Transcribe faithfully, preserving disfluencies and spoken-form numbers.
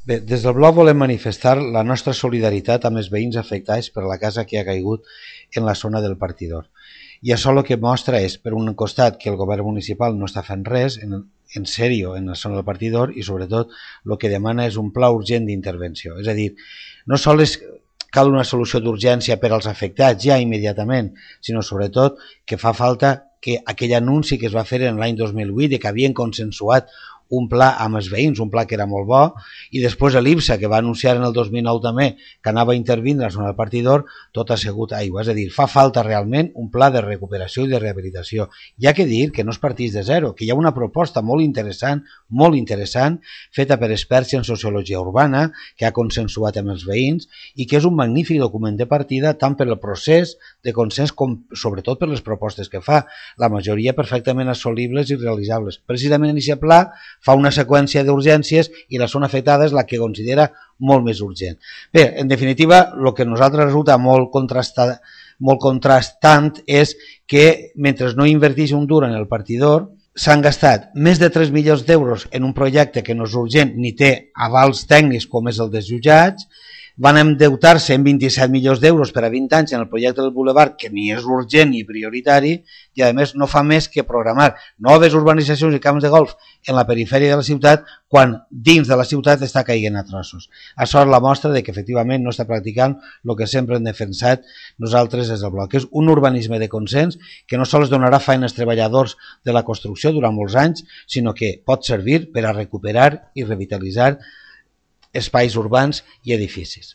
Bé, des del bloc volem manifestar la nostra solidaritat amb els veïns afectats per la casa que ha caigut en la zona del Partidor. I això el que mostra és, per un costat, que el govern municipal no està fent res en, en sèrio en la zona del Partidor i, sobretot, el que demana és un pla urgent d'intervenció. És a dir, no sols cal una solució d'urgència per als afectats ja immediatament, sinó, sobretot, que fa falta que aquell anunci que es va fer en l'any dos mil vuit de que havien consensuat un pla amb els veïns, un pla que era molt bo, i després l'I B S A, que va anunciar en el dos mil nou també que anava a intervindre a la zona del Partidor, tot ha sigut aigua. És a dir, fa falta realment un pla de recuperació i de rehabilitació. Hi ha que dir que no es partís de zero, que hi ha una proposta molt interessant, molt interessant, feta per experts en sociologia urbana, que ha consensuat amb els veïns, i que és un magnífic document de partida tant per el procés de consens com sobretot per les propostes que fa, la majoria perfectament assolibles i realitzables. Precisament en aquest pla fa una seqüència d'urgències i la zona afectada és la que considera molt més urgent. Bé, en definitiva, el que a nosaltres resulta molt contrastat, molt contrastant és que mentre no inverteix un dur en el Partidor, s'han gastat més de tres milions d'euros en un projecte que no és urgent ni té avals tècnics com és el dels jutjats, van endeutar-se en vint-i-set milions d'euros per a vint anys en el projecte del Boulevard, que ni és urgent ni prioritari, i a més no fa més que programar noves urbanitzacions i camps de golf en la perifèria de la ciutat quan dins de la ciutat està caient a trossos. Això és la mostra de que efectivament no està practicant el que sempre hem defensat nosaltres des del bloc, que és un urbanisme de consens que no sols donarà feina als treballadors de la construcció durant molts anys, sinó que pot servir per a recuperar i revitalitzar espais urbans i edificis.